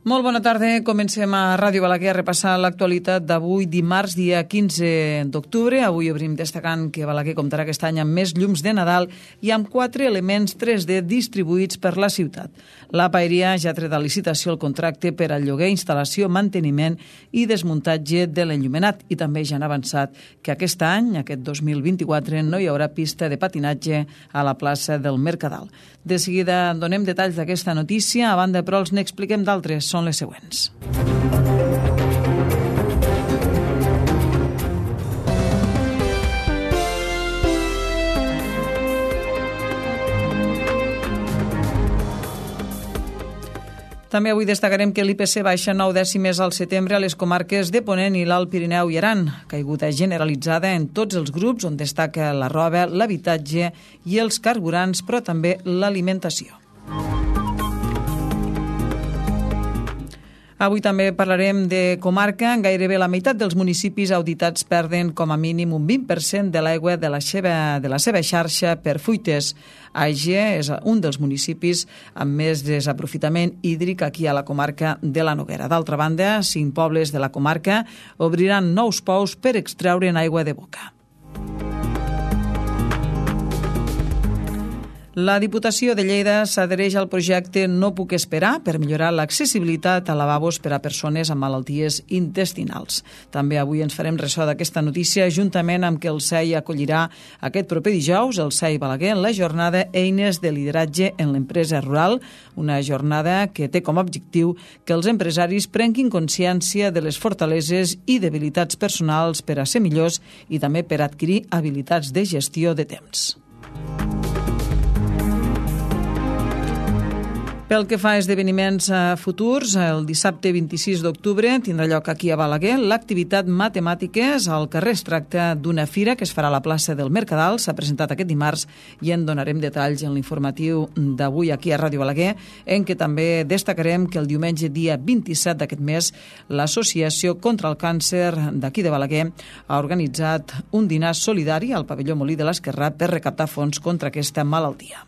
Molt bona tarda. Comencem a Ràdio Balaguer a repassar l'actualitat d'avui, dimarts, dia 15 d'octubre. Avui obrim destacant que Balaguer comptarà aquest any amb més llums de Nadal i amb 4 elements 3D distribuïts per la ciutat. La Paeria ja ha tret a licitació el contracte per al lloguer, instal·lació, manteniment i desmuntatge de l'enllumenat. I també ja han avançat que aquest any, aquest 2024, no hi haurà pista de patinatge a la plaça del Mercadal. De seguida donem detalls d'aquesta notícia. A banda, però, els n'expliquem d'altres. Són les següents. També avui destacarem que l'IPC baixa 9 dècimes al setembre a les comarques de Ponent i l'Alt Pirineu i Aran, caiguda generalitzada en tots els grups, on destaca la roba, l'habitatge i els carburants, però també l'alimentació. Avui també parlarem de comarca. Gairebé la meitat dels municipis auditats perden com a mínim un 20% de l'aigua de la seva xarxa per fuites. Àger és un dels municipis amb més desaprofitament hídric aquí a la comarca de la Noguera. D'altra banda, 5 pobles de la comarca obriran nous pous per extreure'n aigua de boca. La Diputació de Lleida s'adhereix al projecte No puc esperar per millorar l'accessibilitat a lavabos per a persones amb malalties intestinals. També avui ens farem ressò d'aquesta notícia juntament amb que el SEI acollirà aquest proper dijous, el SEI Balaguer, en la jornada Eines de lideratge en l'empresa rural, una jornada que té com a objectiu que els empresaris prenguin consciència de les fortaleses i debilitats personals per a ser millors i també per adquirir habilitats de gestió de temps. Pel que fa a esdeveniments futurs, el dissabte 26 d'octubre tindrà lloc aquí a Balaguer l'activitat Matemàtiques. Al carrer es tracta d'una fira que es farà a la plaça del Mercadal. S'ha presentat aquest dimarts i en donarem detalls en l'informatiu d'avui aquí a Ràdio Balaguer, en què també destacarem que el diumenge dia 27 d'aquest mes l'Associació contra el Càncer d'aquí de Balaguer ha organitzat un dinar solidari al pavelló Molí de l'Esquerrà per recaptar fons contra aquesta malaltia.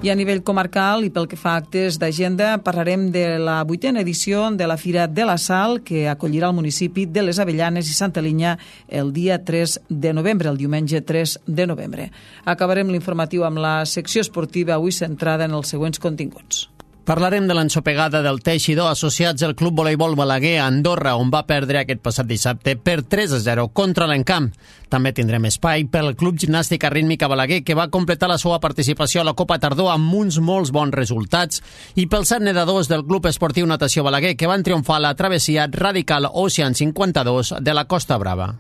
I a nivell comarcal i pel que fa a actes d'agenda parlarem de la 8a edició de la Fira de la Sal que acollirà el municipi de les Avellanes i Santa Linya el dia 3 de novembre, el diumenge 3 de novembre. Acabarem l'informatiu amb la secció esportiva avui centrada en els següents continguts. Parlarem de l'ensopegada del Teixidor associats al Club Voleibol Balaguer a Andorra, on va perdre aquest passat dissabte per 3-0 contra l'Encamp. També tindrem espai pel Club Gimnàstica Rítmica Balaguer, que va completar la seva participació a la Copa Tardor amb uns molts bons resultats, i pels 7 nedadors del Club Esportiu Natació Balaguer, que van triomfar a la travessia Radical Ocean 52 de la Costa Brava.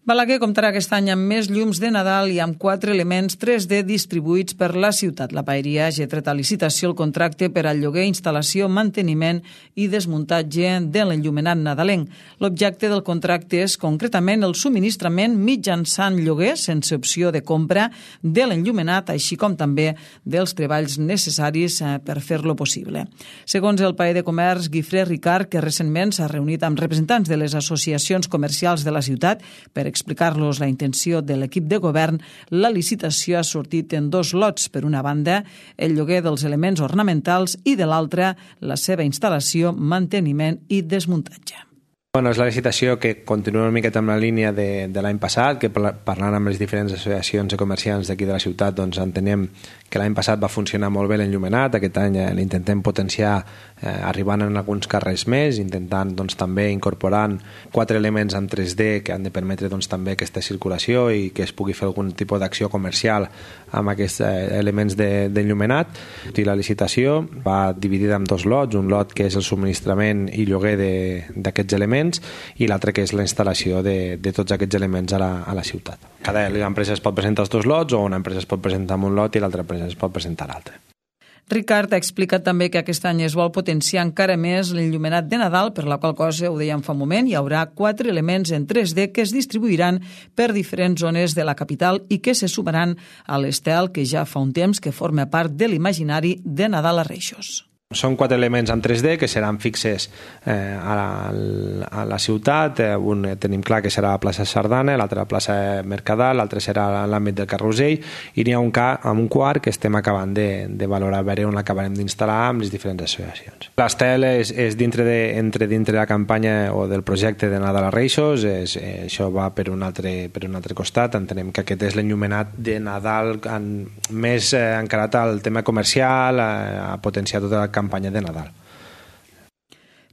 Balaguer comptarà aquest any amb més llums de Nadal i amb 4 elements 3D distribuïts per la ciutat. La Paeria ja ha tret a licitació el contracte per al lloguer, instal·lació, manteniment i desmuntatge de l'enllumenat nadalenc. L'objecte del contracte és concretament el subministrament mitjançant lloguer, sense opció de compra, de l'enllumenat, així com també dels treballs necessaris per fer-lo possible. Segons el paer de comerç Guifré Ricard, que recentment s'ha reunit amb representants de les associacions comercials de la ciutat per explicar-los la intenció de l'equip de govern, la licitació ha sortit en 2 lots. Per una banda, el lloguer dels elements ornamentals i de l'altra, la seva instal·lació, manteniment i desmuntatge. Bueno, és la licitació que continua una miqueta amb la línia de l'any passat, que parlant amb les diferents associacions de comerciants d'aquí de la ciutat, doncs entenem que l'any passat va funcionar molt bé l'enllumenat. Aquest any l'intentem potenciar arribant en alguns carrers més, intentant doncs, també incorporant 4 elements en 3D que han de permetre doncs, també aquesta circulació i que es pugui fer algun tipus d'acció comercial amb aquests elements d'enllumenat. I la licitació va dividida en 2 lots, un lot que és el subministrament i lloguer d'aquests elements i l'altre que és la instal·lació de tots aquests elements a la ciutat. Cada empresa es pot presentar els 2 lots o una empresa es pot presentar amb un lot i l'altra empresa es pot presentar l'altre. Ricard ha explicat també que aquest any es vol potenciar encara més l'enllumenat de Nadal, per la qual cosa, ho dèiem fa un moment, hi haurà 4 elements en 3D que es distribuiran per diferents zones de la capital i que se sumaran a l'estel que ja fa un temps que forma part de l'imaginari de Nadal a Reixos. Són 4 elements en 3D que seran fixes a la ciutat. Un tenim clar que serà la plaça Sardana, l'altre la plaça Mercadal, l'altre serà l'àmbit del Carrusell, i n'hi ha un quart que estem acabant de valorar, a veure on l'acabarem d'instal·lar amb les diferents associacions. L'estel és dintre de la campanya o del projecte de Nadal a Reixos. Això va per un altre costat. Entenem que aquest és l'enllumenat de Nadal més encarat al tema comercial, a potenciar tota la campanya de Nadal.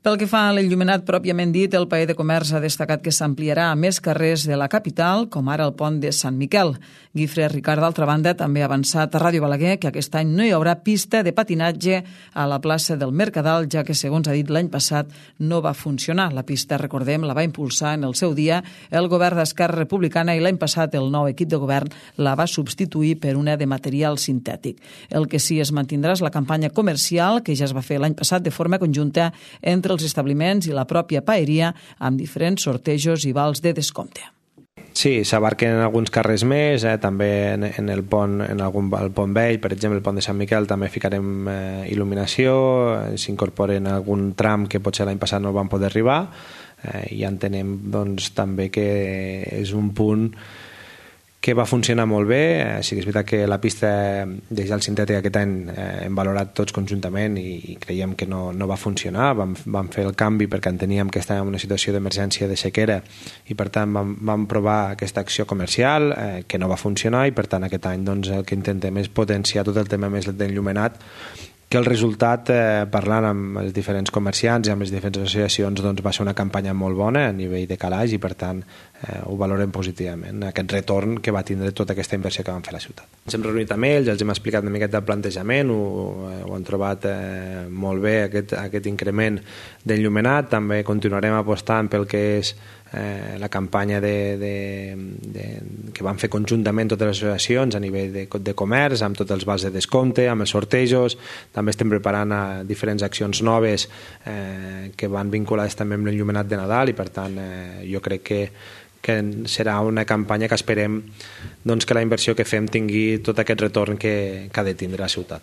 Pel que fa a l'enllumenat pròpiament dit, el Paer de Comerç ha destacat que s'ampliarà a més carrers de la capital, com ara el pont de Sant Miquel. Guifré Ricard, d'altra banda, també ha avançat a Ràdio Balaguer que aquest any no hi haurà pista de patinatge a la plaça del Mercadal, ja que, segons ha dit l'any passat, no va funcionar. La pista, recordem, la va impulsar en el seu dia el govern d'Esquerra Republicana i l'any passat el nou equip de govern la va substituir per una de material sintètic. El que sí es mantindrà és la campanya comercial, que ja es va fer l'any passat de forma conjunta entre els establiments i la pròpia paeria, amb diferents sortejos i vals de descompte. Sí, s'abarquen alguns carrers més, també en el pont, el pont vell, per exemple, el pont de Sant Miquel, també ficarem il·luminació, s'incorporen algun tram que potser l'any passat no van poder arribar, i entenem doncs, també que és un punt que va funcionar molt bé. Sí que és veritat que la pista de gel sintètic aquest any hem valorat tots conjuntament i creiem que no va funcionar. Vam fer el canvi perquè enteníem que estàvem en una situació d'emergència de sequera i per tant vam provar aquesta acció comercial que no va funcionar i per tant aquest any doncs, el que intentem és potenciar tot el tema més d'enllumenat, que el resultat, parlant amb els diferents comerciants i amb les diferents associacions, doncs va ser una campanya molt bona a nivell de calaix i per tant ho valorem positivament, aquest retorn que va tindre tota aquesta inversió que vam fer a la ciutat. Ens hem reunit amb ells, els hem explicat una miqueta el plantejament, ho han trobat molt bé aquest increment d'enllumenat. També continuarem apostant pel que és la campanya que van fer conjuntament totes les associacions a nivell de comerç, amb tots els vals de descompte, amb els sortejos. També estem preparant diferents accions noves que van vinculades també amb l'enllumenat de Nadal i per tant jo crec que serà una campanya que esperem doncs, que la inversió que fem tingui tot aquest retorn que ha de tindre la ciutat.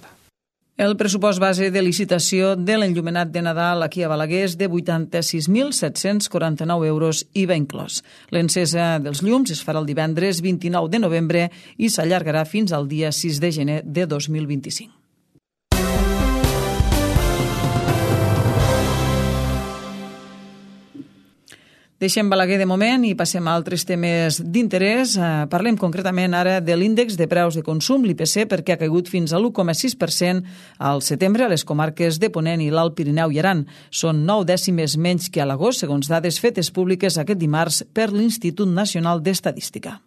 El pressupost base de licitació de l'enllumenat de Nadal aquí a Balaguer és de 86.749 euros IVA inclòs. L'encesa dels llums es farà el divendres 29 de novembre i s'allargarà fins al dia 6 de gener de 2025. Deixem Balaguer de moment i passem a altres temes d'interès. Parlem concretament ara de l'índex de preus de consum, l'IPC, perquè ha caigut fins a l'1,6% al setembre a les comarques de Ponent i l'Alt Pirineu i Aran. Són 9 dècimes menys que a l'agost, segons dades fetes públiques aquest dimarts per l'Institut Nacional d'Estadística.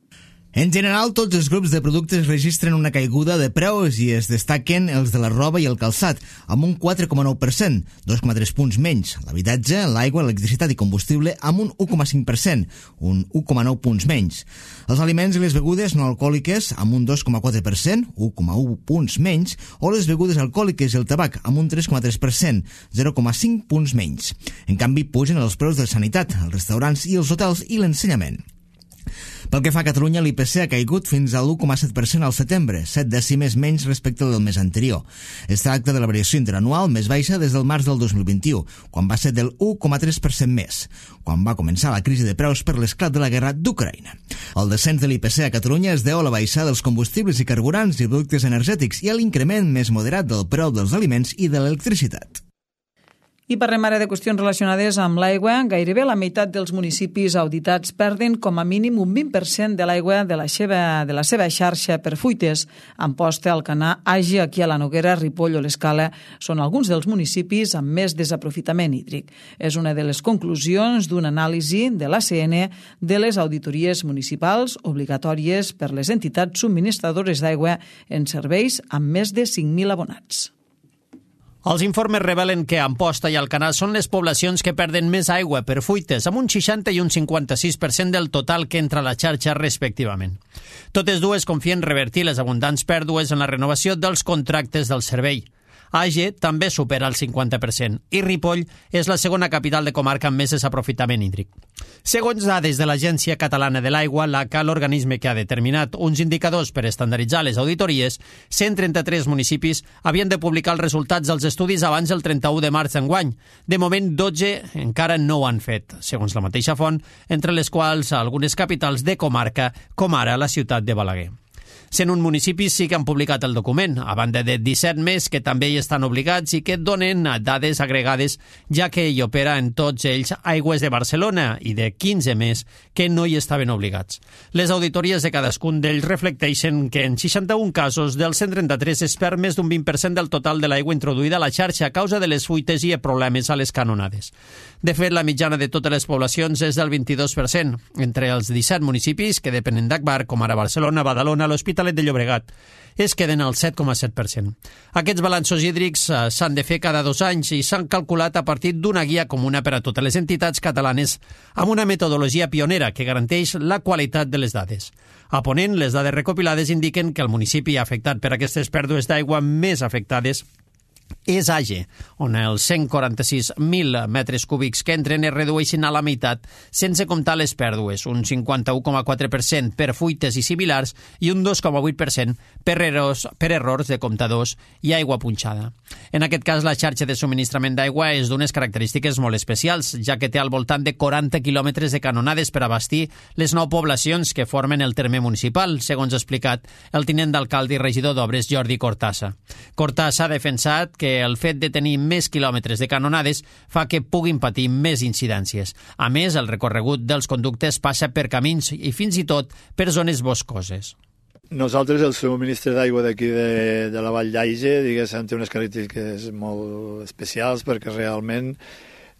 En general, tots els grups de productes registren una caiguda de preus i es destaquen els de la roba i el calçat, amb un 4,9%, 2,3 punts menys. L'habitatge, l'aigua, l'electricitat i combustible amb un 1,5%, un 1,9 punts menys. Els aliments i les begudes no alcohòliques amb un 2,4%, 1,1 punts menys, o les begudes alcohòliques i el tabac amb un 3,3%, 0,5 punts menys. En canvi, pugen els preus de sanitat, els restaurants i els hotels i l'ensenyament. Pel que fa a Catalunya, l'IPC ha caigut fins a l'1,7% al setembre, 7 dècimes menys respecte del mes anterior. Es tracta de la variació interanual més baixa des del març del 2021, quan va ser del 1,3% més, quan va començar la crisi de preus per l'esclat de la guerra d'Ucraïna. El descens de l'IPC a Catalunya es deu a la baixada dels combustibles i carburants i productes energètics i a l'increment més moderat del preu dels aliments i de l'electricitat. I parlem ara de qüestions relacionades amb l'aigua. Gairebé la meitat dels municipis auditats perden com a mínim un 20% de l'aigua de la seva xarxa per fuites. Amposta, Alcanar, Agi, aquí a la Noguera, Ripoll o l'Escala són alguns dels municipis amb més desaprofitament hídric. És una de les conclusions d'una anàlisi de l'ACN de les auditories municipals obligatòries per les entitats subministradores d'aigua en serveis amb més de 5.000 abonats. Els informes revelen que Amposta i Alcanar són les poblacions que perden més aigua per fuites, amb un 60 i un 56% del total que entra a la xarxa respectivament. Totes dues confien revertir les abundants pèrdues en la renovació dels contractes del servei. Age també supera el 50% i Ripoll és la segona capital de comarca amb més desaprofitament hídric. Segons dades de l'Agència Catalana de l'Aigua, l'ACA, l'organisme que ha determinat uns indicadors per estandarditzar les auditories, 133 municipis havien de publicar els resultats dels estudis abans del 31 de març d'enguany. De moment, 12 encara no ho han fet, segons la mateixa font, entre les quals algunes capitals de comarca, com ara la ciutat de Balaguer. 101 municipis sí que han publicat el document, a banda de 17 més que també hi estan obligats i que donen dades agregades, ja que hi opera en tots ells Aigües de Barcelona i de 15 més que no hi estaven obligats. Les auditories de cadascun d'ells reflecteixen que en 61 casos dels 133 es perd més d'un 20% del total de l'aigua introduïda a la xarxa a causa de les fuites i problemes a les canonades. De fet, la mitjana de totes les poblacions és del 22%, entre els 17 municipis que depenen d'Agbar, com ara Barcelona, Badalona, l'Hospitalet de Llobregat, es queden al 7,7%. Aquests balanços hídrics s'han de fer cada 2 anys i s'han calculat a partir d'una guia comuna per a totes les entitats catalanes amb una metodologia pionera que garanteix la qualitat de les dades. A Ponent, les dades recopilades indiquen que el municipi afectat per aquestes pèrdues d'aigua més afectades és Age, on els 146.000 metres cúbics que entren es redueixen a la meitat sense comptar les pèrdues, un 51,4% per fuites i similars i un 2,8% per errors de comptadors i aigua punxada. En aquest cas, la xarxa de subministrament d'aigua és d'unes característiques molt especials, ja que té al voltant de 40 quilòmetres de canonades per abastir les 9 poblacions que formen el terme municipal, segons ha explicat el tinent d'alcalde i regidor d'Obres, Jordi Cortassa. Cortassa ha defensat que el fet de tenir més quilòmetres de canonades fa que puguin patir més incidències. A més, el recorregut dels conductes passa per camins i fins i tot per zones boscoses. Nosaltres, el subministre d'aigua d'aquí de la Vall d'Aige, diguéssim, té unes característiques molt especials perquè realment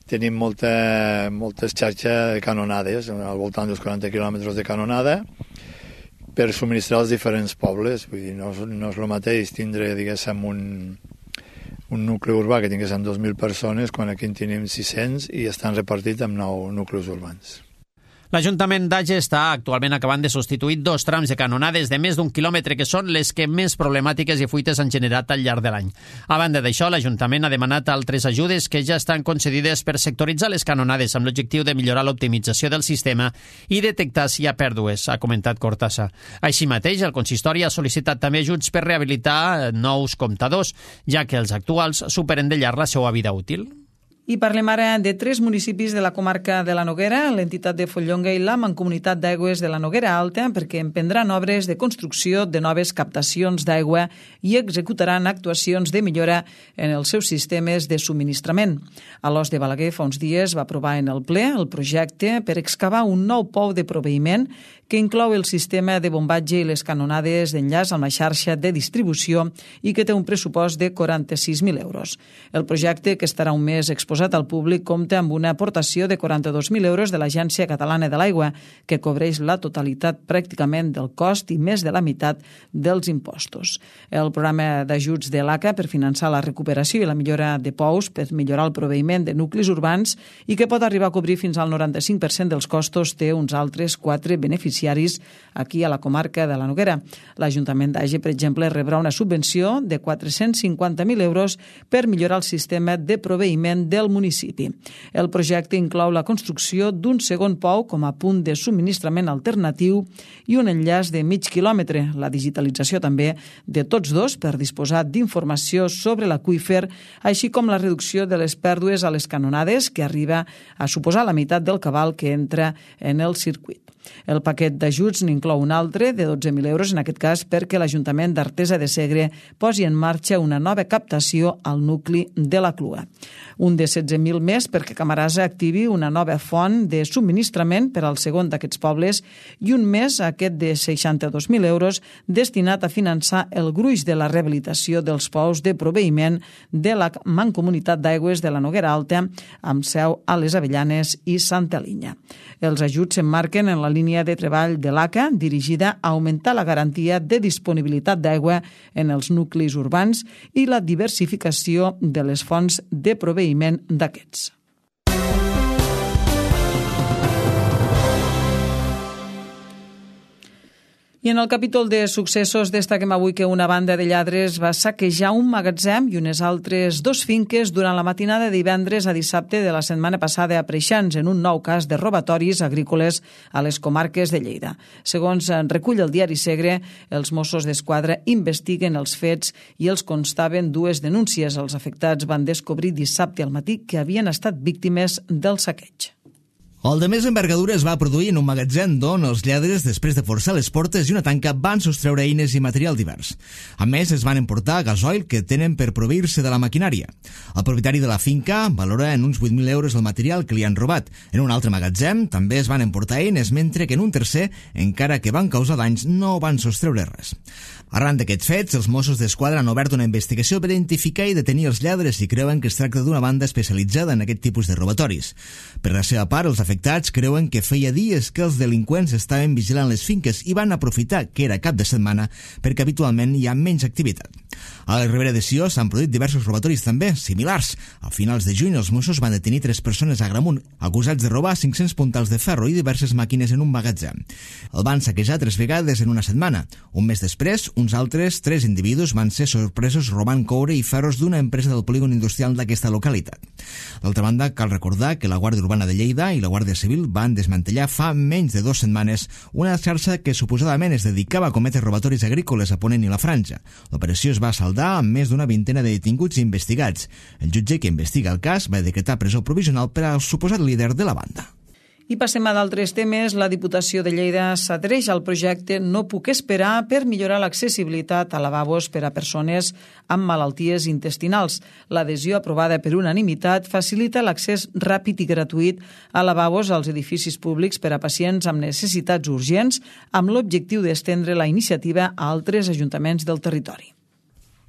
tenim moltes xarxes de canonades, al voltant dels 40 quilòmetres de canonada, per subministrar els diferents pobles. Vull dir, no és el mateix tindre, diguéssim, un nucli urbà que tinguéssim 2.000 persones, quan aquí en tenim 600 i estan repartits en 9 nuclis urbans. L'Ajuntament d'Age està actualment acabant de substituir 2 trams de canonades de més d'1 quilòmetre que són les que més problemàtiques i fuites han generat al llarg de l'any. A banda d'això, l'Ajuntament ha demanat altres ajudes que ja estan concedides per sectoritzar les canonades amb l'objectiu de millorar l'optimització del sistema i detectar si hi ha pèrdues, ha comentat Cortassa. Així mateix, el consistori ha sol·licitat també ajuts per rehabilitar nous comptadors, ja que els actuals superen de llarg la seva vida útil. I parlem ara de 3 municipis de la comarca de la Noguera, l'entitat de Follonga i la Mancomunitat d'Aigües de la Noguera Alta, perquè emprendran obres de construcció de noves captacions d'aigua i executaran actuacions de millora en els seus sistemes de subministrament. A l'Os de Balaguer fa uns dies va aprovar en el ple el projecte per excavar un nou pou de proveïment que inclou el sistema de bombatge i les canonades d'enllaç amb la xarxa de distribució i que té un pressupost de 46.000 euros. El projecte, que estarà un mes exposat al públic, compta amb una aportació de 42.000 euros de l'Agència Catalana de l'Aigua, que cobreix la totalitat pràcticament del cost i més de la meitat dels impostos. El programa d'ajuts de l'ACA per finançar la recuperació i la millora de pous per millorar el proveïment de nuclis urbans i que pot arribar a cobrir fins al 95% dels costos té uns altres 4 beneficiaris aquí a la comarca de la Noguera. L'Ajuntament d'Age, per exemple, rebrà una subvenció de 450.000 euros per millorar el sistema de proveïment del municipi. El projecte inclou la construcció d'un segon pou com a punt de subministrament alternatiu i un enllaç de mig quilòmetre, la digitalització també de tots dos per disposar d'informació sobre l'aqüífer, així com la reducció de les pèrdues a les canonades, que arriba a suposar la meitat del cabal que entra en el circuit. El paquet d'ajuts n'inclou un altre de 12.000 euros, en aquest cas perquè l'Ajuntament d'Artesa de Segre posi en marxa una nova captació al nucli de la Clua. Un de 16.000 més perquè Camarasa activi una nova font de subministrament per al segon d'aquests pobles i un més, aquest de 62.000 euros, destinat a finançar el gruix de la rehabilitació dels pous de proveïment de la Mancomunitat d'Aigües de la Noguera Alta, amb seu a les Avellanes i Santa Linya. Els ajuts s'emmarquen en la línia de treball de l'ACA dirigida a augmentar la garantia de disponibilitat d'aigua en els nuclis urbans i la diversificació de les fonts de proveïment d'aquests. I en el capítol de successos destaquem avui que una banda de lladres va saquejar un magatzem i unes altres 2 finques durant la matinada de divendres a dissabte de la setmana passada a Preixans, en un nou cas de robatoris agrícoles a les comarques de Lleida. Segons recull el diari Segre, els Mossos d'Esquadra investiguen els fets i els constaven 2 denúncies. Els afectats van descobrir dissabte al matí que havien estat víctimes del saqueig. El de més envergadura es va produir en un magatzem d'on els lladres, després de forçar les portes i una tanca, van sostreure eines i material divers. A més, es van emportar gasoil que tenen per proveir-se de la maquinària. El propietari de la finca valora en uns 8.000 euros el material que li han robat. En un altre magatzem també es van emportar eines, mentre que en un tercer, encara que van causar danys, no van sostreure res. Arran d'aquests fets, els Mossos d'Esquadra han obert una investigació per identificar i detenir els lladres i creuen que es tracta d'una banda especialitzada en aquest tipus de robatoris. Per la seva part, els afectats creuen que feia dies que els delinqüents estaven vigilant les finques i van aprofitar que era cap de setmana perquè habitualment hi ha menys activitat. A la Ribera de Sió s'han produït diversos robatoris també, similars. A finals de juny els Mossos van detenir 3 persones a Agramunt, acusats de robar 500 puntals de ferro i diverses màquines en un magatzem. El van saquejar 3 vegades en una setmana. Un mes després, uns altres 3 individus van ser sorpresos robant coure i ferros d'una empresa del polígon industrial d'aquesta localitat. D'altra banda, cal recordar que la Guàrdia Urbana de Lleida i la Guàrdia Civil van desmantellar fa menys de 2 setmanes una xarxa que suposadament es dedicava a cometre robatoris agrícoles a Ponent i la Franja. L'operació es va saldar amb més d'una vintena de detinguts i investigats. El jutge que investiga el cas va decretar presó provisional per al suposat líder de la banda. I passem a d'altres temes. La Diputació de Lleida s'adhereix al projecte No puc esperar per millorar l'accessibilitat a lavabos per a persones amb malalties intestinals. L'adhesió aprovada per unanimitat facilita l'accés ràpid i gratuït a lavabos als edificis públics per a pacients amb necessitats urgents, amb l'objectiu d'estendre la iniciativa a altres ajuntaments del territori.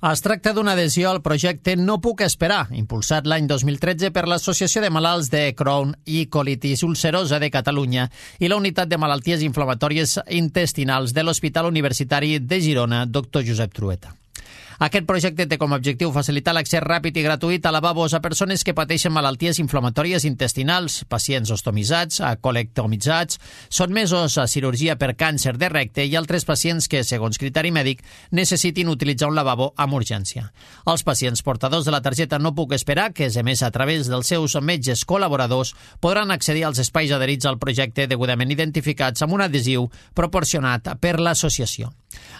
Es tracta d'una adhesió al projecte No puc esperar, impulsat l'any 2013 per l'Associació de Malalts de Crohn i Colitis Ulcerosa de Catalunya i la Unitat de Malalties Inflamatòries Intestinals de l'Hospital Universitari de Girona, Dr. Josep Trueta. Aquest projecte té com a objectiu facilitar l'accés ràpid i gratuït a lavabos a persones que pateixen malalties inflamatòries intestinals, pacients ostomitzats, colectomitzats, sotmesos a cirurgia per càncer de recte i altres pacients que, segons criteri mèdic, necessitin utilitzar un lavabo amb urgència. Els pacients portadors de la targeta No puc esperar, que és emesa a través dels seus metges col·laboradors, podran accedir als espais adherits al projecte degudament identificats amb un adhesiu proporcionat per l'associació.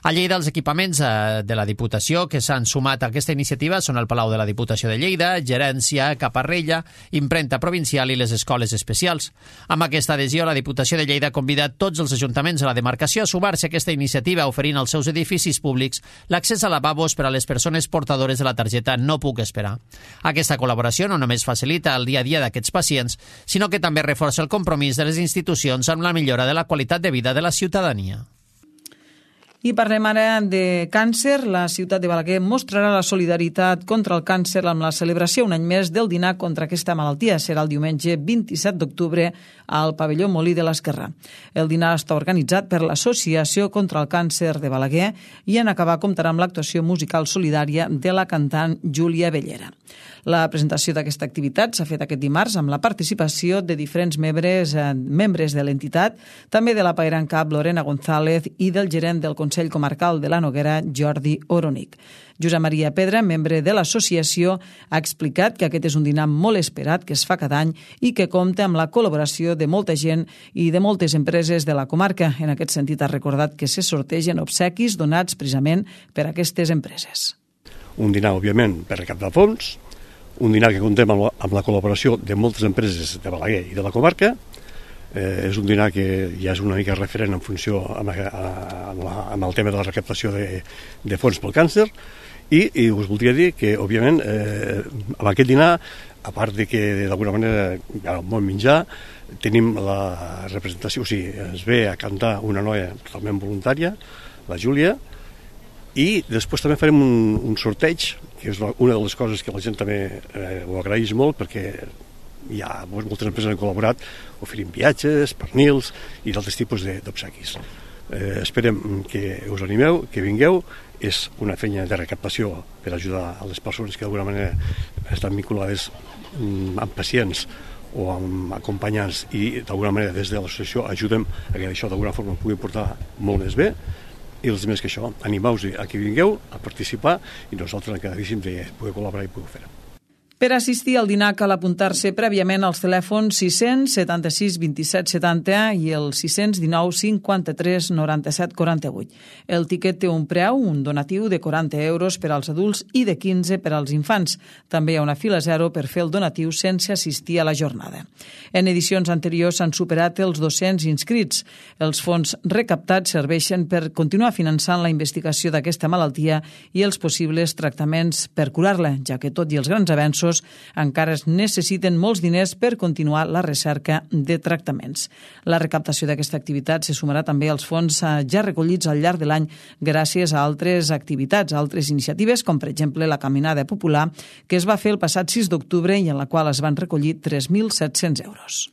A Lleida, els equipaments de la Diputació que s'han sumat a aquesta iniciativa són el Palau de la Diputació de Lleida, Gerència, Caparrella, Impremta Provincial i les escoles especials. Amb aquesta adhesió, la Diputació de Lleida convida tots els ajuntaments de la demarcació a sumar-se a aquesta iniciativa, oferint als seus edificis públics l'accés a lavabos per a les persones portadores de la targeta No puc esperar. Aquesta col·laboració no només facilita el dia a dia d'aquests pacients, sinó que també reforça el compromís de les institucions amb la millora de la qualitat de vida de la ciutadania. I parlem ara de càncer. La ciutat de Balaguer mostrarà la solidaritat contra el càncer amb la celebració un any més del dinar contra aquesta malaltia. Serà el diumenge 27 d'octubre al pavelló Molí de l'Esquerrà. El dinar està organitzat per l'Associació contra el Càncer de Balaguer i en acabar comptarà amb l'actuació musical solidària de la cantant Júlia Bellera. La presentació d'aquesta activitat s'ha fet aquest dimarts amb la participació de diferents membres de l'entitat, també de la Pairán Cap Lorena González i del gerent del Consell Comarcal de la Noguera, Jordi Oronic. Josep Maria Pedra, membre de l'associació, ha explicat que aquest és un dinar molt esperat que es fa cada any i que compta amb la col·laboració de molta gent i de moltes empreses de la comarca. En aquest sentit ha recordat que se sortegen obsequis donats precisament per aquestes empreses. Un dinar, òbviament, per recaptar fons, un dinar que contem amb la col·laboració de moltes empreses de Balaguer i de la comarca. És un dinar que ja és una mica referent en funció amb el tema de la recaptació de fons pel càncer i us voldria dir que, òbviament, amb aquest dinar, a part de que d'alguna manera hi ha el bon menjar, tenim la representació, o sigui, ens ve a cantar una noia totalment voluntària, la Júlia, i després també farem un sorteig, que és una de les coses que la gent també ho agraeix molt, perquè hi ha moltes empreses que han col·laborat oferint viatges, pernils i d'altres tipus d'obsequis. Esperem que us animeu, que vingueu. És una feina de recaptació per ajudar a les persones que d'alguna manera estan vinculades amb pacients o amb acompanyants, i d'alguna manera des de l'associació ajudem a que això d'alguna forma pugui portar molt més bé. I els més que això, animeu-vos a que vingueu a participar i nosaltres encantadíssim de poder col·laborar i poder fer-ho. Per assistir al dinar cal apuntar-se prèviament als telèfons 676 27 70 i el 619 53 97 48. El tiquet té un preu, un donatiu de 40 euros per als adults i de 15 per als infants. També hi ha una fila zero per fer el donatiu sense assistir a la jornada. En edicions anteriors s'han superat els 200 inscrits. Els fons recaptats serveixen per continuar finançant la investigació d'aquesta malaltia i els possibles tractaments per curar-la, ja que tot i els grans avenços encara es necessiten molts diners per continuar la recerca de tractaments. La recaptació d'aquesta activitat se sumarà també als fons ja recollits al llarg de l'any gràcies a altres activitats, a altres iniciatives, com per exemple la Caminada Popular, que es va fer el passat 6 d'octubre i en la qual es van recollir 3.700 euros.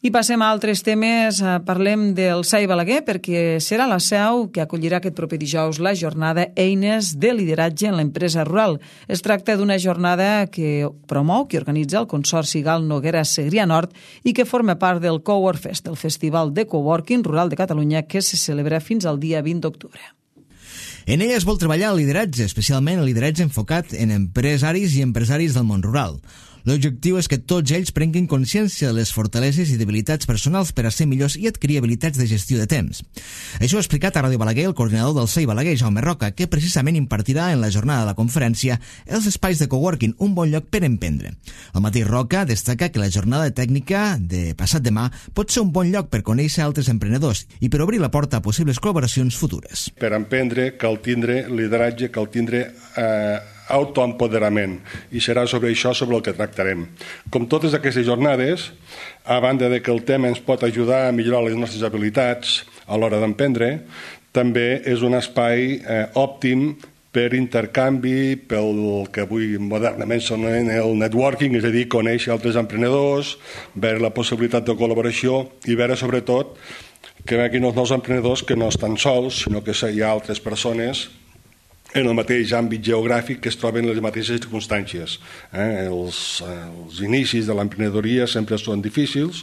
I passem a altres temes. Parlem del SAI Balaguer perquè serà la seu que acollirà aquest proper dijous la jornada Eines de lideratge en l'empresa rural. Es tracta d'una jornada que promou, que organitza el Consorci Gal Noguera Segrià Nord i que forma part del Cowork Fest, el Festival de Coworking Rural de Catalunya que se celebra fins al dia 20 d'octubre. En ella es vol treballar el lideratge, especialment el lideratge enfocat en empresaris i empresaris del món rural. L'objectiu és que tots ells prenguin consciència de les fortaleses i debilitats personals per a ser millors i adquirir habilitats de gestió de temps. Això ha explicat a Ràdio Balaguer el coordinador del SAI Balaguer, Jaume Roca, que precisament impartirà en la jornada de la conferència els espais de coworking, un bon lloc per emprendre. El mateix Roca destaca que la jornada tècnica de passat demà pot ser un bon lloc per conèixer altres emprenedors i per obrir la porta a possibles col·laboracions futures. Per emprendre cal tindre lideratge, cal tindre autoempoderament, i serà sobre això sobre el que tractarem. Com totes aquestes jornades, a banda de que el tema ens pot ajudar a millorar les nostres habilitats a l'hora d'emprendre, també és un espai òptim per intercanvi, pel que avui modernament s'anomena el networking, és a dir, conèixer altres emprenedors, veure la possibilitat de col·laboració i veure sobretot que veguin els nous emprenedors que no estan sols, sinó que hi ha altres persones en el mateix àmbit geogràfic que es troben en les mateixes circumstàncies. Els inicis de l'emprenedoria sempre són difícils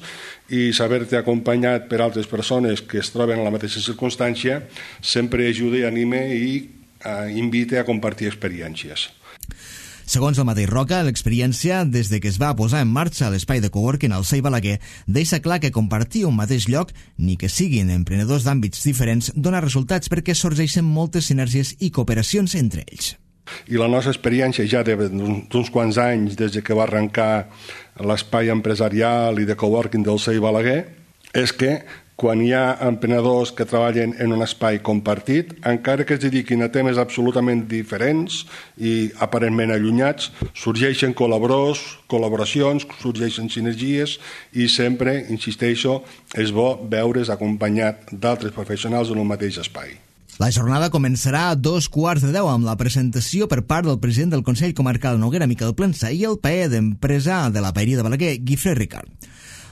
i saber-te acompanyat per altres persones que es troben en la mateixa circumstància sempre ajuda i anima i invita a compartir experiències. Segons el mateix Roca, l'experiència des de que es va posar en marxa l'espai de coworking al SAI Balaguer deixa clar que compartir un mateix lloc, ni que siguin emprenedors d'àmbits diferents, dona resultats perquè sorgeixen moltes sinergies i cooperacions entre ells. I la nostra experiència ja d'uns quants anys des que va arrencar l'espai empresarial i de coworking del SAI Balaguer és que quan hi ha emprenedors que treballen en un espai compartit, encara que es dediquin a temes absolutament diferents i aparentment allunyats, sorgeixen col·laboracions, sorgeixen sinergies i sempre, insisteixo, és bo veure's acompanyat d'altres professionals en un mateix espai. La jornada començarà a 2:15 amb la presentació per part del president del Consell Comarcal Noguera, Miquel Plensa, i el paer d'empresa de la paeria de Balaguer, Guifré Ricard.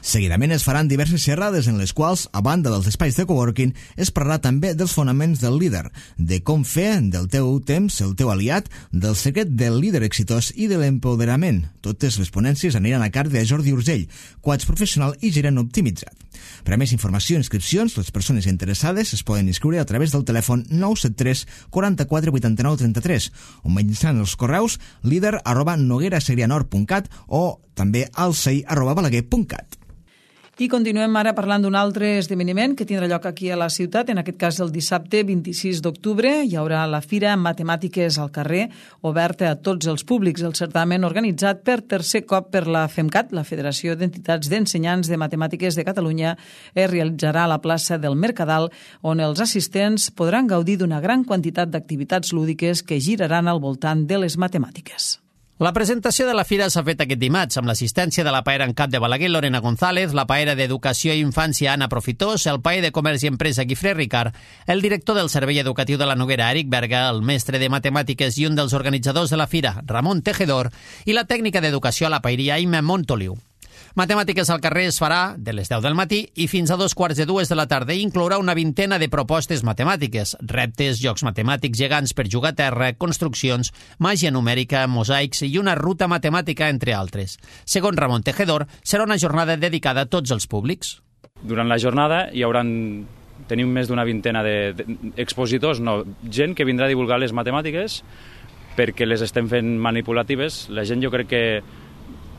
Seguidament es faran diverses xerrades en les quals, a banda dels espais de coworking, es parlarà també dels fonaments del líder, de com fer del teu temps el teu aliat, del secret del líder exitós i de l'empoderament. Totes les ponències aniran a càrrec de Jordi Urgell, coach professional i gerent optimitzat. Per a més informació i inscripcions, les persones interessades es poden inscriure a través del telèfon 973 44 89 33 o mitjançant els correus líder@noguerasegrianord.cat o també alsei@balaguer.cat. I continuem ara parlant d'un altre esdeveniment que tindrà lloc aquí a la ciutat. En aquest cas, el dissabte 26 d'octubre hi haurà la Fira Matemàtiques al carrer, oberta a tots els públics. El certamen organitzat per tercer cop per la FEMCAT, la Federació d'Entitats d'Ensenyants de Matemàtiques de Catalunya, es realitzarà a la plaça del Mercadal, on els assistents podran gaudir d'una gran quantitat d'activitats lúdiques que giraran al voltant de les matemàtiques. La presentació de la fira s'ha fet aquest dimarts amb l'assistència de la paera en cap de Balaguer, Lorena González, la paera d'Educació i Infància, Anna Profitós, el paer de Comerç i Empresa, Guifré Ricard, el director del Servei Educatiu de la Noguera, Eric Berga, el mestre de Matemàtiques i un dels organitzadors de la fira, Ramon Tejedor, i la tècnica d'Educació a la paeria, Imma Montoliu. Matemàtiques al carrer es farà de les 10 del matí i fins a 2:45 de la tarda i inclourà una vintena de propostes matemàtiques, reptes, jocs matemàtics gegants per jugar a terra, construccions, màgia numèrica, mosaics i una ruta matemàtica, entre altres. Segons Ramon Tejedor, serà una jornada dedicada a tots els públics. Durant la jornada tenim més d'una vintena d'expositors, gent que vindrà a divulgar les matemàtiques perquè les estem fent manipulatives. La gent, jo crec que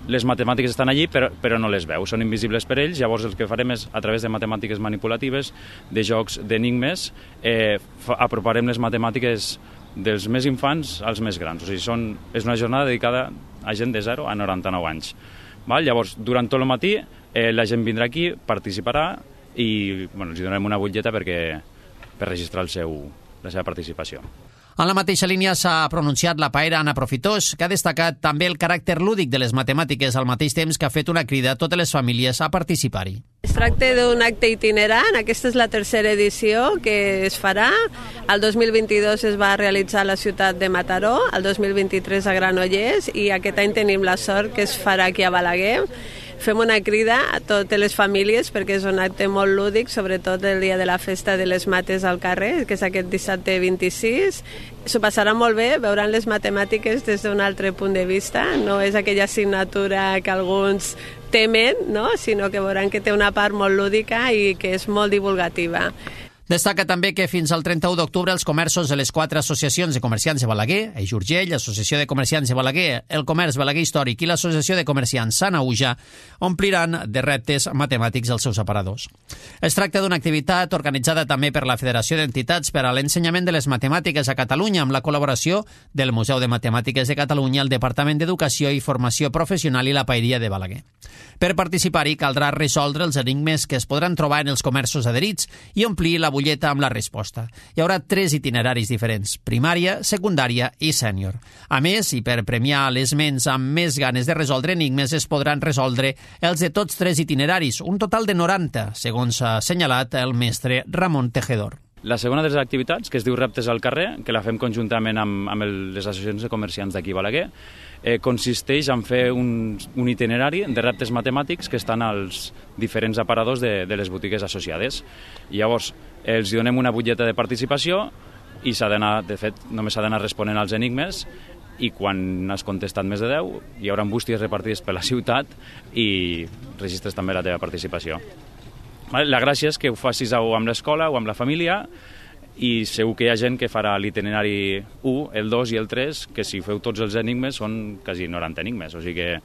les matemàtiques estan allí però no les veu, són invisibles per ells. Llavors el que farem és, a través de matemàtiques manipulatives, de jocs d'enigmes, aproparem les matemàtiques dels més infants als més grans. O sigui, és una jornada dedicada a gent de 0 a 99 anys. Llavors, durant tot el matí, la gent vindrà aquí, participarà i els donarem una butlleta per registrar la seva participació. En la mateixa línia s'ha pronunciat la paera Anna Profitós, que ha destacat també el caràcter lúdic de les matemàtiques, al mateix temps que ha fet una crida a totes les famílies a participar-hi. Es tracta d'un acte itinerant, aquesta és la tercera edició que es farà. El 2022 es va realitzar a la ciutat de Mataró, el 2023 a Granollers i aquest any tenim la sort que es farà aquí a Balaguer. Fem una crida a totes les famílies perquè és un acte molt lúdic, sobretot el dia de la festa de les mates al carrer, que és aquest dissabte 26. S'ho passarà molt bé, veuran les matemàtiques des d'un altre punt de vista, no és aquella assignatura que alguns temen, no? Sinó que veuran que té una part molt lúdica i que és molt divulgativa. Destaca també que fins al 31 d'octubre els comerços de les 4 associacions de comerciants de Balaguer, Eix Urgell, Associació de Comerciants de Balaguer, el Comerç Balaguer Històric i l'Associació de Comerciants Sant Auja ompliran de reptes matemàtics els seus aparadors. Es tracta d'una activitat organitzada també per la Federació d'Entitats per a l'Ensenyament de les Matemàtiques a Catalunya amb la col·laboració del Museu de Matemàtiques de Catalunya, el Departament d'Educació i Formació Professional i la Paeria de Balaguer. Per participar-hi caldrà resoldre els enigmes que es podran trobar en els comerços adherits i omplir la butlleta amb la resposta. Hi haurà 3 itineraris diferents, primària, secundària i sènior. A més, i per premiar les ments amb més ganes de resoldre enigmes, es podran resoldre els de tots 3 itineraris, un total de 90, segons ha assenyalat el mestre Ramon Tejedor. La segona de les activitats, que es diu Reptes al carrer, que la fem conjuntament amb les associacions de comerciants d'aquí a Balaguer, consisteix en fer un itinerari de reptes matemàtics que estan als diferents aparadors de les botigues associades. I llavors, els donem una butlleta de participació i s'ha d'anar, de fet, només s'ha d'anar responent als enigmes i quan has contestat més de 10 hi haurà bústies repartides per la ciutat i registres també la teva participació. La gràcia és que ho facis o amb l'escola o amb la família i segur que hi ha gent que farà l'itinerari 1, el 2 i el 3, que si feu tots els enigmes són quasi 90 enigmes, o sigui que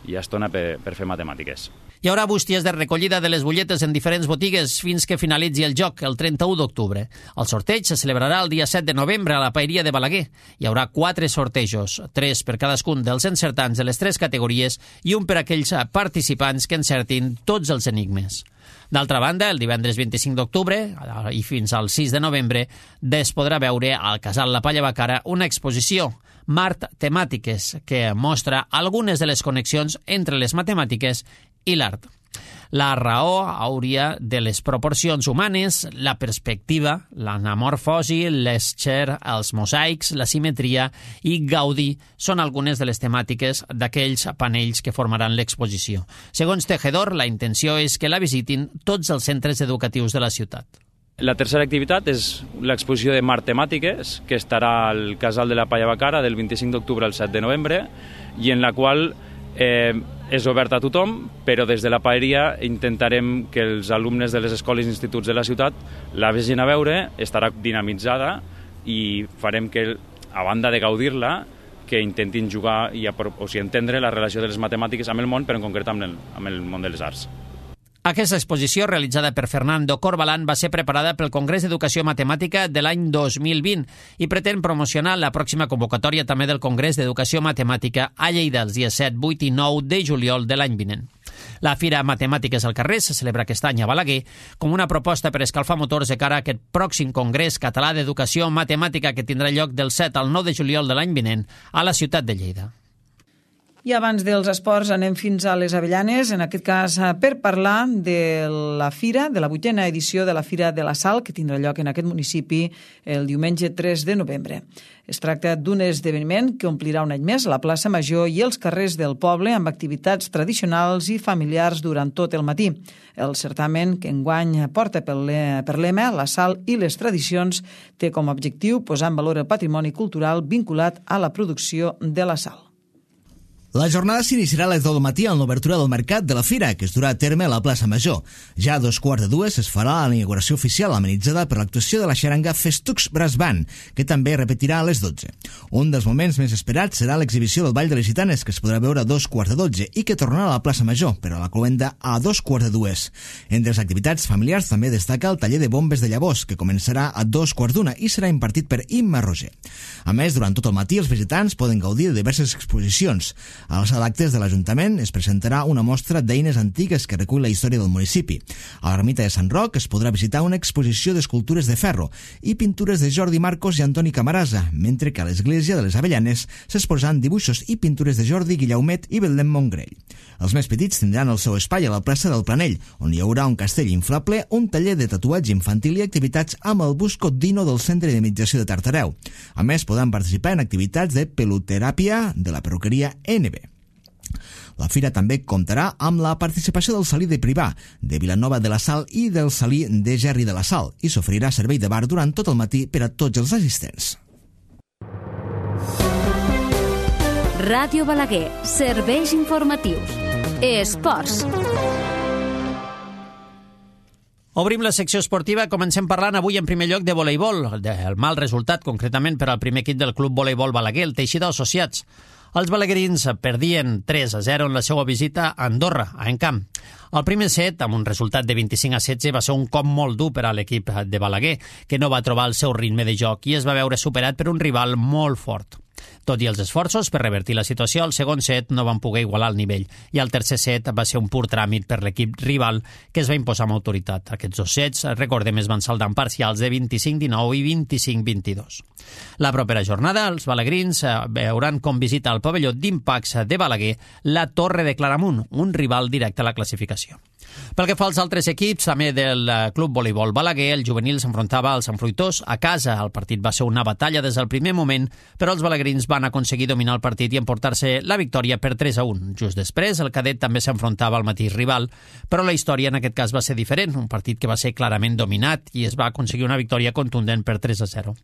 hi ha estona per fer matemàtiques. Hi haurà bústies de recollida de les butlletes en diferents botigues fins que finalitzi el joc, el 31 d'octubre. El sorteig se celebrarà el dia 7 de novembre a la Paeria de Balaguer. Hi haurà 4 sortejos, 3 per cadascun dels encertants de les 3 categories i un per aquells participants que encertin tots els enigmes. D'altra banda, el divendres 25 d'octubre i fins al 6 de novembre es podrà veure al Casal La Palla Bacara una exposició, Mart Temàtiques, que mostra algunes de les connexions entre les matemàtiques i l'art. La raó hauria de les proporcions humanes, la perspectiva, l'anamorfosi, l'escher, els mosaics, la simetria i Gaudí són algunes de les temàtiques d'aquells panells que formaran l'exposició. Segons Tejedor, la intenció és que la visitin tots els centres educatius de la ciutat. La tercera activitat és l'exposició de Mart Temàtiques, que estarà al Casal de la Palla Bacara del 25 d'octubre al 7 de novembre i en la qual és oberta a tothom, però des de la paeria intentarem que els alumnes de les escoles i instituts de la ciutat la vegin a veure, estarà dinamitzada i farem que, a banda de gaudir-la, que intentin jugar i entendre la relació de les matemàtiques amb el món, però en concret amb el món de les arts. Aquesta exposició, realitzada per Fernando Corbalán, va ser preparada pel Congrés d'Educació Matemàtica de l'any 2020 i pretén promocionar la pròxima convocatòria també del Congrés d'Educació Matemàtica a Lleida els dies 7, 8 i 9 de juliol de l'any vinent. La Fira Matemàtiques al carrer se celebra aquest any a Balaguer com una proposta per escalfar motors de cara a aquest pròxim Congrés Català d'Educació Matemàtica que tindrà lloc del 7 al 9 de juliol de l'any vinent a la ciutat de Lleida. I abans dels esports anem fins a les Avellanes, en aquest cas per parlar de la Fira, de la 8a edició de la Fira de la Sal, que tindrà lloc en aquest municipi el diumenge 3 de novembre. Es tracta d'un esdeveniment que omplirà un any més la plaça Major i els carrers del poble amb activitats tradicionals i familiars durant tot el matí. El certamen, que enguany porta per lema la sal i les tradicions, té com a objectiu posar en valor el patrimoni cultural vinculat a la producció de la sal. La jornada s'iniciarà a les 10 del matí amb l'obertura del mercat de la Fira, que es durà a terme a la plaça Major. Ja a 2:15 es farà la inauguració oficial amenitzada per l'actuació de la xaranga Festucs Brass Band, que també repetirà a les 12. Un dels moments més esperats serà l'exhibició del Ball de les Gitanes, que es podrà veure a 2:15 i que tornarà a la plaça Major, però a la cloenda a 2:15. Entre les activitats familiars també destaca el taller de bombes de llavors, que començarà a 2:15 i serà impartit per Imma Roger. A més, durant tot el matí els visitants poden gaudir de diverses exposicions. A la sala d'actes de l'Ajuntament es presentarà una mostra d'eines antigues que recull la història del municipi. A l'ermita de Sant Roc es podrà visitar una exposició d'escultures de ferro i pintures de Jordi Marcos i Antoni Camarasa, mentre que a l'església de les Avellanes s'exposaran dibuixos i pintures de Jordi Guillaumet i Betlem Montgrell. Els més petits tindran el seu espai a la plaça del Planell, on hi haurà un castell inflable, un taller de tatuatge infantil i activitats amb el bus Codino del Centre de Meditació de Tartareu. A més, podran participar en activitats de peluteràpia de la perruqueria NB. La fira també comptarà amb la participació del Salí de Privà, de Vilanova de la Sal i del Salí de Gerri de la Sal, i s'oferirà servei de bar durant tot el matí per a tots els assistents. Ràdio Balaguer, serveis informatius. Esports. Obrim la secció esportiva, comencem parlant avui en primer lloc de voleibol, del mal resultat concretament per al primer equip del Club Voleibol Balaguer, el Teixidor Associats. Els balaguerins perdien 3-0 en la seva visita a Andorra, a Encamp. El primer set, amb un resultat de 25-16, va ser un cop molt dur per a l'equip de Balaguer, que no va trobar el seu ritme de joc i es va veure superat per un rival molt fort. Tot i els esforços per revertir la situació, al segon set no van poder igualar el nivell i el tercer set va ser un pur tràmit per l'equip rival que es va imposar amb autoritat. Aquests dos sets, recordem, es van saldar en parcials de 25-19 i 25-22. La propera jornada, els balaguerins veuran com visita al pavelló d'Impax de Balaguer la Torre de Claramunt, un rival directe a la classificació. Pel que fa als altres equips, també del Club Voleibol Balaguer, el juvenil s'enfrontava als enfruitors a casa. El partit va ser una batalla des del primer moment, però els balaguerins van aconseguir dominar el partit i emportar-se la victòria per 3-1. Just després, el cadet també s'enfrontava al mateix rival, però la història en aquest cas va ser diferent, un partit que va ser clarament dominat i es va aconseguir una victòria contundent per 3-0.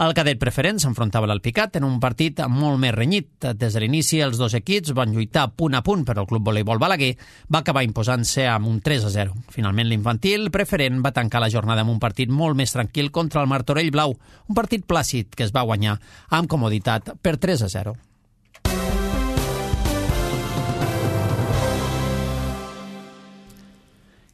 El cadet preferent s'enfrontava a l'Alpicat en un partit molt més renyit. Des de l'inici, els dos equips van lluitar punt a punt, però el Club Voleibol Balaguer va acabar imposant-se amb un 3-0. Finalment, l'infantil preferent va tancar la jornada amb un partit molt més tranquil contra el Martorell Blau, un partit plàcid que es va guanyar amb comoditat per 3-0.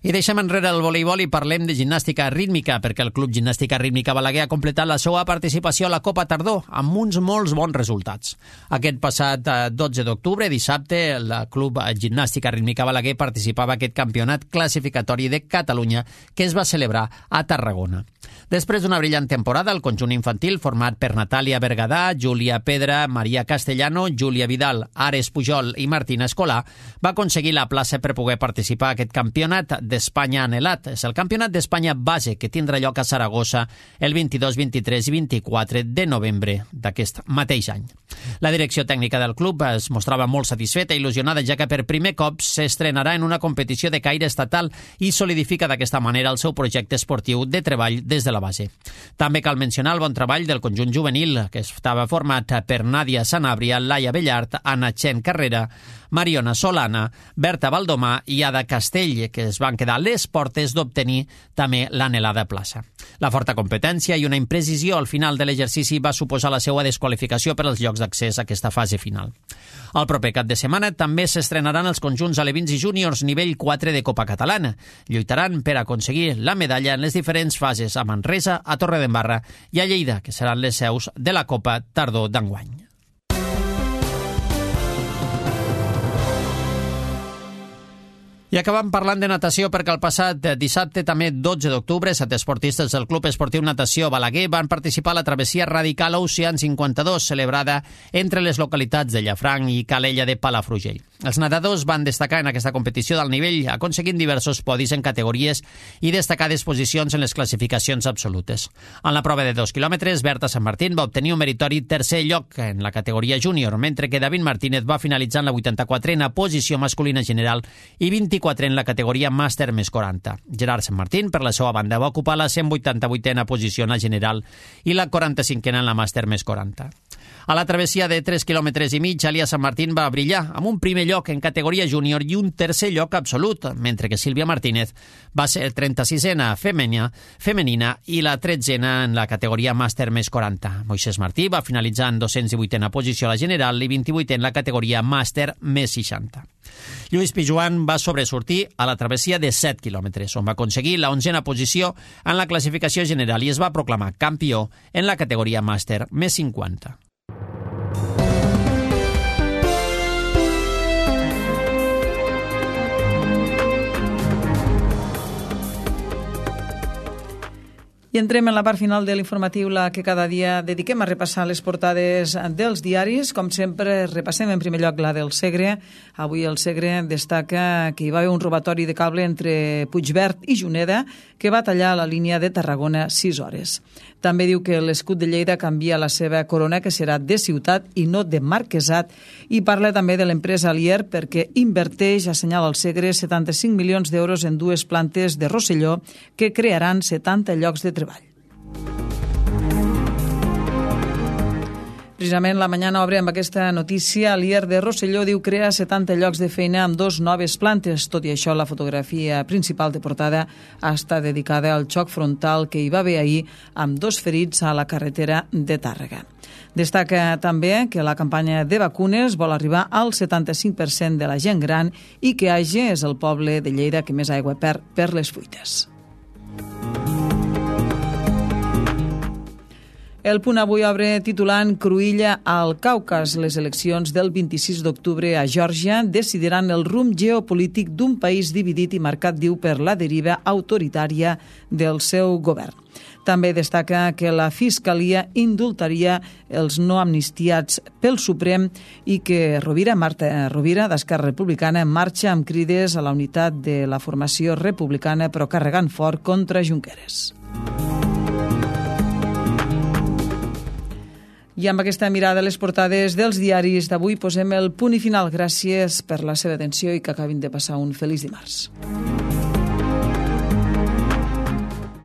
I deixem enrere el voleibol i parlem de gimnàstica rítmica, perquè el Club Gimnàstica Rítmica Balaguer ha completat la seva participació a la Copa Tardor amb uns molts bons resultats. Aquest passat 12 d'octubre, dissabte, el Club Gimnàstica Rítmica Balaguer participava a aquest campionat classificatori de Catalunya que es va celebrar a Tarragona. Després d'una brillant temporada, el conjunt infantil, format per Natàlia Bergadà, Júlia Pedra, Maria Castellano, Júlia Vidal, Ares Pujol i Martina Escolà, va aconseguir la plaça per poder participar a aquest campionat d'Espanya anhelat. És el campionat d'Espanya base que tindrà lloc a Saragossa el 22, 23 i 24 de novembre d'aquest mateix any. La direcció tècnica del club es mostrava molt satisfeta i il·lusionada, ja que per primer cop s'estrenarà en una competició de caire estatal i solidifica d'aquesta manera el seu projecte esportiu de treball des de la base. També cal mencionar el bon treball del conjunt juvenil, que estava format per Nàdia Sanabria, Laia Bellart, Anna Chen Carrera, Mariona Solana, Berta Valdomà i Ada Castell, que es van quedar a les portes d'obtenir també l'anhelada plaça. La forta competència i una imprecisió al final de l'exercici va suposar la seva desqualificació per als llocs d'accés a aquesta fase final. El proper cap de setmana també s'estrenaran els conjunts alevins i júniors nivell 4 de Copa Catalana. Lluitaran per aconseguir la medalla en les diferents fases a Manresa, a Torredembarra i a Lleida, que seran les seus de la Copa Tardor d'enguany. I acabem parlant de natació perquè el passat dissabte, també 12 d'octubre, 7 esportistes del Club Esportiu Natació Balaguer van participar a la travessia radical Ocean 52, celebrada entre les localitats de Llafranc i Calella de Palafrugell. Els nedadors van destacar en aquesta competició d'alt nivell, aconseguint diversos podis en categories i destacades posicions en les classificacions absolutes. En la prova de 2 quilòmetres, Berta Sant Martín va obtenir un meritori tercer lloc en la categoria júnior, mentre que David Martínez va finalitzar en la 84a posició masculina general i 24 en la categoria màster més 40. Gerard Sant Martín, per la seva banda, va ocupar la 188a posició en la general i la 45a en la màster més 40. A la travessia de 3 quilòmetres i mig, Alia Sant Martín va brillar amb un primer lloc en categoria júnior i un tercer lloc absolut, mentre que Sílvia Martínez va ser 36a femenina i la 13a en la categoria màster més 40. Moisés Martí va finalitzar en 218a posició a la general i 28 en la categoria màster més 60. Lluís Pijuan va sobresortir a la travessia de 7 quilòmetres, on va aconseguir la 11a posició en la classificació general i es va proclamar campió en la categoria màster més 50. I entrem en la part final de l'informatiu, la que cada dia dediquem a repassar les portades dels diaris. Com sempre, repassem en primer lloc la del Segre. Avui el Segre destaca que hi va haver un robatori de cable entre Puigverd i Juneda que va tallar la línia de Tarragona 6 hores. També diu que l'escut de Lleida canvia la seva corona, que serà de ciutat i no de marquesat, i parla també de l'empresa Alier perquè inverteix, assenyala el Segre, 75 milions d'euros en 2 plantes de Rosselló que crearan 70 llocs de treball. Precisament la Mañana obre amb aquesta notícia. Alier de Rosselló diu crea 70 llocs de feina amb 2 noves plantes. Tot i això, la fotografia principal de portada està dedicada al xoc frontal que hi va haver ahir amb 2 ferits a la carretera de Tàrrega. Destaca també que la campanya de vacunes vol arribar al 75% de la gent gran i que Age és el poble de Lleida que més aigua perd per les fuites. El Punt avui obre titulant Cruïlla al Caucas. Les eleccions del 26 d'octubre a Geòrgia decidiran el rumb geopolític d'un país dividit i marcat, diu, per la deriva autoritària del seu govern. També destaca que la Fiscalia indultaria els no amnistiats pel Suprem i que Marta Rovira, d'Esquerra Republicana, marxa amb crides a la unitat de la formació republicana però carregant fort contra Junqueras. I amb aquesta mirada a les portades dels diaris d'avui posem el punt i final. Gràcies per la seva atenció i que acabin de passar un feliç dimarts.